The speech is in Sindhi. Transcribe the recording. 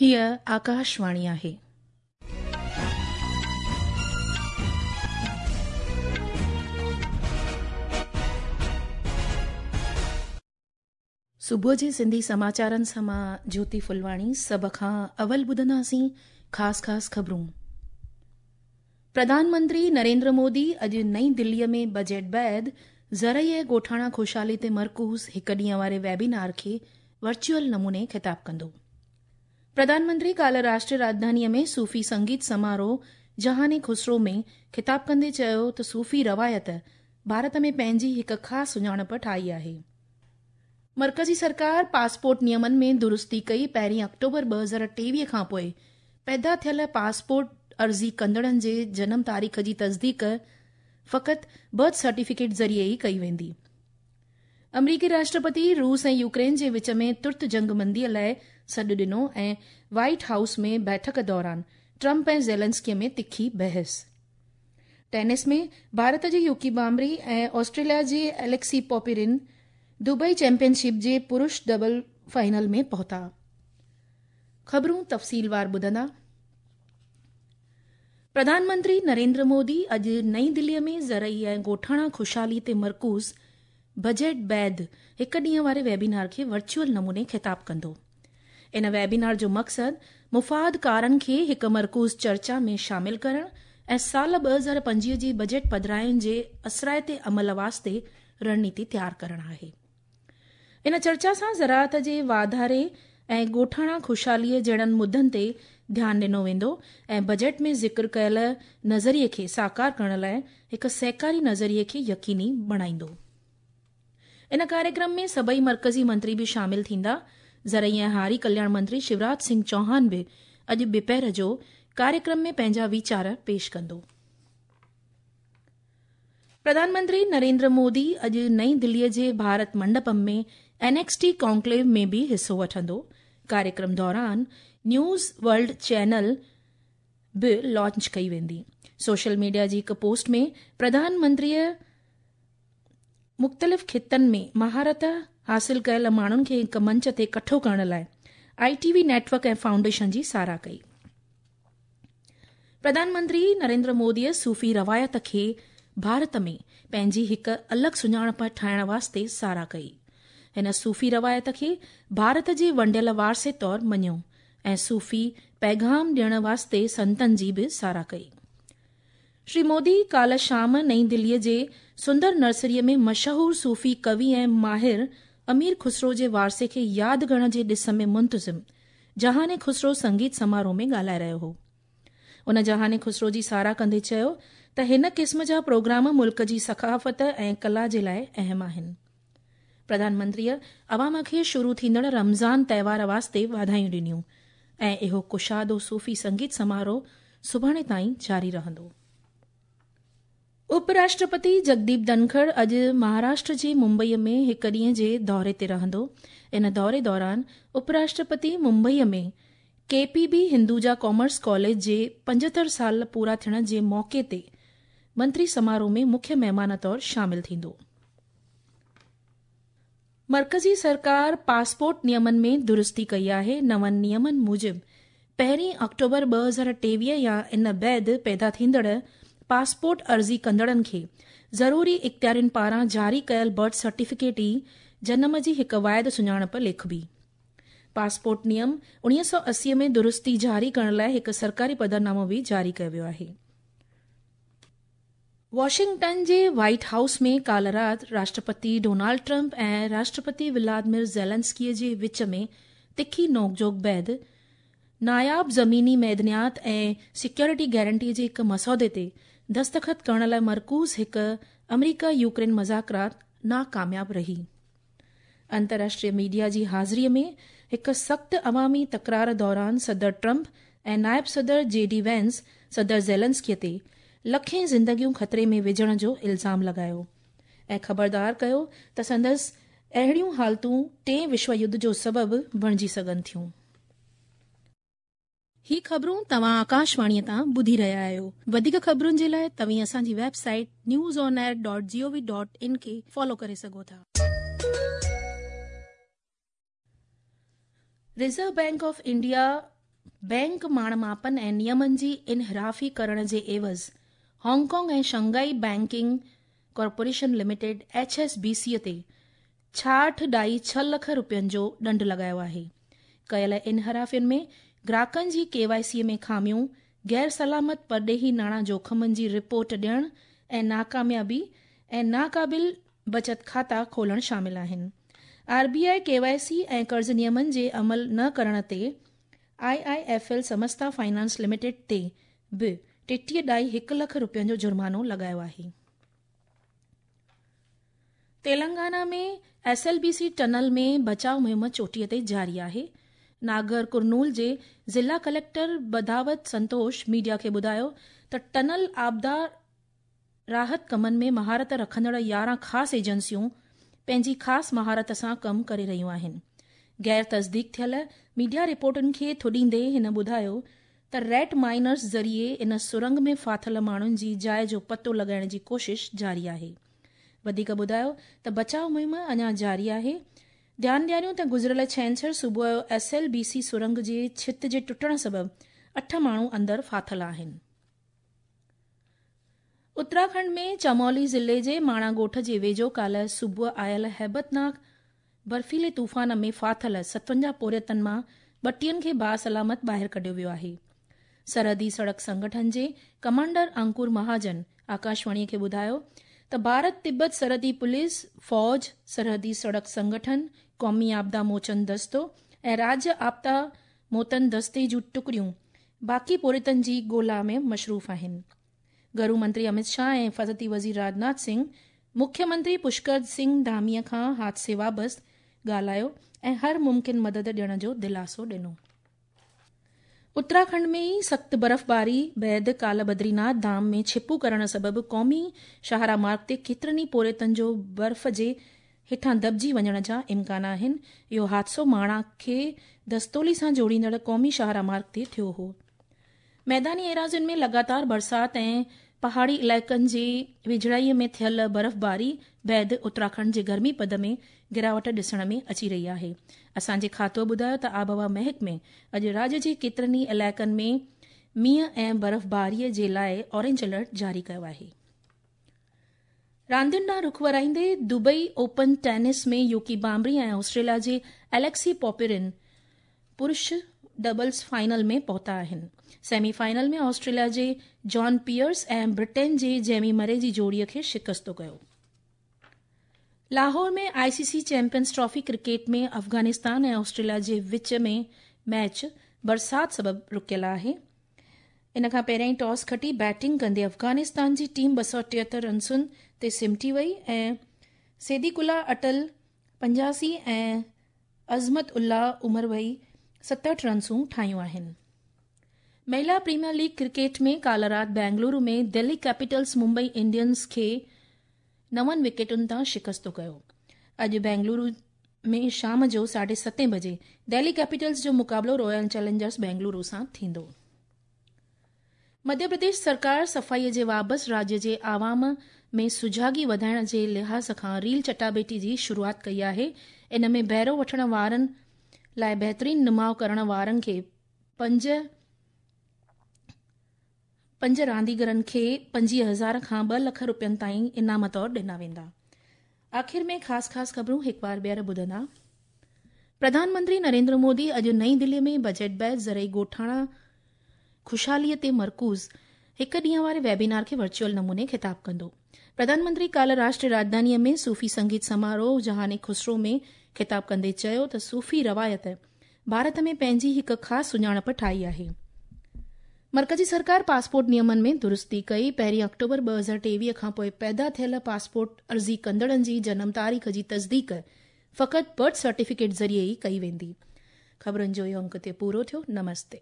هيء آڪاشواڻي آهي. صبح جي سنڌي سماچارن سان مان جيوتي ڦلواڻي سڀ کان اول ٻڌنداسين خاص خاص خبرون. پرڌان منتري نريندر مودي اڄ نئين دليء ۾ بجيٽ بعد زرعي ۽ ڳوٺاڻا خوشحالي تي مرڪوز هڪ ڏينهن واري ويبينار کي ورچوئل نموني خطاب ڪندو. پرڌان منتري ڪالهه راشٽريه راڄڌانيء ۾ صوفي سنگيت سماروهه جهان خسرو ۾ خطاب ڪندي چيو ته صوفي روايت ڀارت ۾ پنهنجي هڪ خاص سڃاڻپ ٺاهي آهي. مرڪزي سرڪار پاسپورٽ نيمن ۾ درستي ڪئي، پهرين آڪٽوبر 2023 کانپوء پيدا ٿيل پاسپورٽ عرضي ڪندڙن جي جنم تاريخ جي تصديق فقط برٿ سرٽيفڪيٽ ذريعي ئي ڪئي ويندي. آمريڪي راشٽرپتي روس ۽ يوڪرين جي وچ ۾ ترت جنگبندي لاء سڏ ڏنو ۽ وائيٽ هائوس ۾ بيٺڪ دوران ٽرمپ ۽ زيلنسڪي ۾ تکي بحث. ٽينس ۾ ڀارت جي يوڪي بامري ۽ آسٽريليا جي اليڪسي پوپيرن دبئي چيمپيئن شپ جي پرش ڊبل فائنل ۾ پهتا. خبرون تفصيلوار ٻڌندا. پرڌان منتري نريندر مودي اڄ نئين دلي ۾ زرعي ۽ ڳوٺاڻا خوشحالي تي مرڪوز بجيٽ بعد هڪ ڏينهن واري ويبينار کي ورچوئل نموني خطاب ڪندو. ان ويبينار جو مقصد مفاد ڪارن کي هڪ مرڪوز چرچا ۾ شامل ڪرڻ ۽ سال 2025 جي بجيٽ پڌراين جي اثرائتي عمل واسطي رڻنيتي تيار ڪرڻ آهي. ان چرچا سان زراعت جي واڌاري ۽ ڳوٺاڻا خوشحالي جهڙن مدن تي ڌيان ڏنو ويندو ۽ بجيٽ ۾ ذڪر ڪيل نظريي کي ساڪار ڪرڻ لاء هڪ سهڪاري نظريي کي يقيني بڻائيندو. ان ڪاريڪرم ۾ سڀئي مرڪزي منتري به شامل ٿيندا. زرعي ۽ هاري ڪلياڻ منتري شيوراج سنگهه چوهان به اڄ ٻپهر جو ڪاريڪرم ۾ پنهنجا ويچار پيش ڪندو. پرڌان منتري نريندر مودي اڄ نئين دلي جي Bharat Mandapam ۾ N X T conclave ۾ به حصو وٺندو. ڪاريڪرم دوران نيوز ورلڊ چينل به لانچ ڪئي ويندي. سوشل ميڊيا جي هڪ پوسٽ ۾ پرڌان منتريء مختلف خطن ۾ مهارت حاصل ڪيل ماڻهن کي هڪ منچ تي ڪٺو ڪرڻ لاء I T V network ۽ foundation جي ساراهه ڪئي. پرڌان منتري نريندر موديء صوفي روايت کي ڀارت ۾ پنهنجي هڪ الڳ سڃاڻپ ٺاهڻ واسطي ساراهه ڪئي. هن صوفي روايت کي ڀارت جي ونڊيل وارثي طور مڃيو ۽ صوفي پيغام ڏيڻ واسطي سنتن جي به ساراهه ڪئي. شري مودي ڪالهه شام نئين دليء جي سندر نرسريء ۾ مشهور صوفي ڪوي ۽ ماهر امير خسرو جي وارثي کي ياد ڪرڻ جي ڏس ۾ منتظم جهان خسرو سنگيت سماروهه ۾ ڳالهائي رهيو هو. ان جهان خسرو جي ساراهه ڪندي چيو ته هن قسم جا پروگرام ملڪ جي ثقافت ۽ ڪلا جي لاء اهم آهن. پرڌان منتريء عوام کي شروع ٿيندڙ رمضان تهوار واسطي واڌايون ڏنيون ۽ اهو ڪشادو صوفي سنگيت سماروهه سڀاڻي تائين جاري رهندو. اپ راشٽرپتي جگديپ ڌنکڙ اڄ مهاراشٽر جي ممبئي ۾ هڪ ڏينهن جي دوري تي رهندو. ان دوري دوران up Rashtrapati Mumbai ۾ K P B Hinduja commerce college جي 75 سال پورا ٿيڻ جي موقعي تي منتري سماروهه ۾ مکيه مهمان طور شامل ٿيندو. مرڪزي سرڪار پاسپورٽ نيمن ۾ درستي ڪئي آهي، نون نيمن موجب پهرين آڪٽوبر 2023 يا ان بعد پيدا ٿيندڙ پاسپورٽ عرضي ڪندڙن کي ضروري اختيارين پاران جاري ڪيل برٿ سرٽيفڪيٽ ئي جنم جي هڪ واحد سڃاڻپ ليکبي. پاسپورٽ نيم 1980 ۾ درستي جاري ڪرڻ لاء هڪ سرڪاري پڌرنامو به جاري ڪيو ويو آهي. واشنگٽن جي وائيٽ هائوس ۾ ڪالهه رات Rashtrapati Donald Trump ۽ Rashtrapati ولادمير Zelensky جي وچ ۾ تکي نوڪجهوڪ بعد ناياب زميني معدنيات ۽ سيڪيورٽي گارنٽي جي هڪ مسودي تي دستخط ڪرڻ لاء مرڪوز هڪ آمريڪا يوڪرين مذاڪرات ناڪامياب رهي. انترراشٽريه ميڊيا جي حاضري ۾ هڪ سخت عوامي تڪرار دوران صدر ٽرمپ ۽ نائب صدر جي ڊي وينس صدر زيلنسڪي تي لکين زندگيون خطري ۾ وجهڻ جو الزام لڳايو ۽ خبردار ڪيو ته سندس اهڙيون حالتون ٽئين وشو يڌ جو سبب بڻجي سگهن ٿيون. هي خبرون توهان آڪاشواڻيء تان ٻڌي رهيا آهيو. وڌيڪ خبرن جي لاء توهين اسان جي website news on air dot G O V dot in کي فالو ڪري سگهو ٿا. Reserve bank of India bank ماڻ ماپن ۽ نيمن جي انحرافي ڪرڻ جي عيوض Hong Kong ۽ Shanghai banking corporation limited H S B C تي 66.6 لک رپين جو ڏنڊ لڳايو آهي. ڪيل انحرافين ۾ گراهڪن جي ڪي وائي سي ۾ خاميون، غير سلامت پرڏيهي ناڻا جوکمن جي رپورٽ ڏيڻ ۽ ناڪاميابي ۽ ناقابل بچت کاتا کولڻ شامل آهن. R B I K Y C ۽ قرض نيمن جي عمل نه ڪرڻ تي I I F L Samasta finance limited تي به 33.1 لک رپين جو جرمانو لڳايو آهي. Telangana ۾ S L B C tunnel ۾ بچاء مهم چوٽيء تي جاري آهي. ناگر ڪرنول جي ضلع ڪليڪٽر بداوت سنتوش ميڊيا کي ٻڌايو ته ٽنل آبدار راحت ڪمن ۾ مهارت رکندڙ 11 خاص ايجنسيون پنهنجي خاص مهارت سان ڪم ڪري رهيون آهن. غير تصديق ٿيل ميڊيا رپورٽن کي ٿڏيندي هن ٻڌايو ته ريٽ مائنرز ذريعي ان سرنگ ۾ ڦاٿل ماڻهن جي جاء جو پتو لڳائڻ جي ڪوشش جاري آهي. وڌيڪ ٻڌايو ته بچاء مهم اڃا جاري آهي. ڌيان ڏياريون ته گذريل ڇنڇر صبح جو ايس ايل بي سي سرنگ جي ڇت جي ٽٽڻ سبب 8 ماڻهو اندر ڦاٿل آهن. اتراکنڊ ۾ چمولي ضلعي جي ماڻا ڳوٺ جي ويجهو ڪالهه صبح آيل هيبتناڪ برفيلي طوفان ۾ ڦاٿل 57 پورهيتن مان 32 کي باسلامت ٻاهر ڪڍيو ويو آهي. سرحدي سڙڪ سنگٺن جي ڪمانڊر انڪور مهاجن آڪاشواڻي کي ٻڌايو ته ڀارت تبت سرحدي پوليس، فوج، سرحدي سڙڪ سنگٺن، قومي آپدا موچن دستو ۽ راجيه آپدا موتن دستي جون ٽڪڙيون باقي پورهيتن جي ڳولا ۾ مصروف آهن. گهرو منتري امت شاهه ۽ حفاظتي وزير راجناٿ سنگهه مکيه منتري پشڪر سنگهه ڌاميء کان حادثي بابت ڳالهايو ۽ هر ممڪن مدد ڏيڻ جو دلاسو ڏنو. اتراکنڊ ۾ ئي سخت برفباري بعد ڪالهه بدريناٿ ڌام ۾ ڇپو ڪرڻ سبب قومي شاهراهه مارگ تي ڪيترن ئي پورهيتن جو برف جي هيٺان دٻجي وڃڻ جا امڪان آهن. اهو حادثو ماڻا کي دستولي سان جوڙيندڙ قومي شاهراهه مارگ تي ٿيو هو. ميداني ايراضين ۾ لڳاتار برسات ۽ پهاڙي علائقن جي ويجهڙائي ۾ ٿيل برفباري بعد اتراکنڊ جي گرمي پد ۾ گراوٽ ڏسڻ ۾ اچي رهي آهي. اسان جي کاتو ٻڌايو ته آبهوا محڪمي اڄ راڄ جي ڪيترن ئي علائقن ۾ مينهن ۽ برفباري جي لاء اورينج الرٽ جاري ڪيو آهي. راندين ڏانهن رخ ورائيندي Dubai open tennis ۾ Yuki Bhambri ۽ Australia جي اليڪسي پوپرين پرش ڊبلز فائنل ۾ پهتا آهن. سيمي فائنل ۾ آسٽريليا جي جان پيئرس ۽ برٽين جي جيمي مري جي جوڙي کي شڪست ڪيو. Lahore ۾ I C C champions trophy cricket ۾ Afghanistan ۽ Australia جي وچ ۾ ميچ برسات سبب رڪيل آهي. ان کان پهريائين ٽاس کٽي بيٽنگ ڪندي افغانستان جي ٽيم 273 رنسن تي سمٽي وئي ۽ صديق الله اٽل 85 ۽ عظمت الله عمروئي 67 رنسون ٺاهيون آهن. مهلا پريميئر ليگ ڪرڪيٽ ۾ ڪالهه رات بينگلورو ۾ دهلي ڪيپيٽلز ممبئي انڊينز کي 9 وڪيٽن تان شڪست ڪيو. اڄ بينگلورو ۾ شام جو 7:30 بجي دهلي ڪيپيٽلز جو مقابلو رائل چئلينجرز بينگلورو سان ٿيندو. مڌيه پرديش سرڪار صفائي جي وابس راجيه جي عوام ۾ سجاڳي وڌائڻ جي لحاظ کان ريل چٽاڀيٽي جي شروعات ڪئي آهي. ان ۾ بهرو وٺڻ وارن لاء بهترين نماء ڪرڻ وارن کي پنج رانديگرن کي 25,000 کان 2 لک رپين تائين انعام طور ڏنا ويندا. آخر ۾ خاص خاص خبرون هڪ بار ٻيهر ٻڌندا. پرڌان منتري نريندر مودي اڄ نئين دلي ۾ بجيٽ بعد زرعي ڳوٺاڻا خوشحالي تي مرڪوز هڪ ڏينهن واري ويبينار کي ورچوئل نموني خطاب ڪندو. پرڌان منتري ڪالهه راشٽري راڄڌاني ۾ صوفي سنگيت سماروهه جهان خسرو ۾ خطاب ڪندي چيو ته صوفي روايت ڀارت ۾ پنهنجي هڪ خاص سڃاڻپ ٺاهي آهي. مرڪزي سرڪار پاسپورٽ نيمن ۾ درستي ڪئي، پهرين آڪٽوبر 2023 کان پوء پيدا ٿيل پاسپورٽ عرضي ڪندڙن جي جنم تاريخ جي تصديق فقط برٿ سرٽيفڪيٽ ذريعي ئي ڪئي ويندي. خبرن جو اهو انڪ تي پورو ٿيو. نمستي.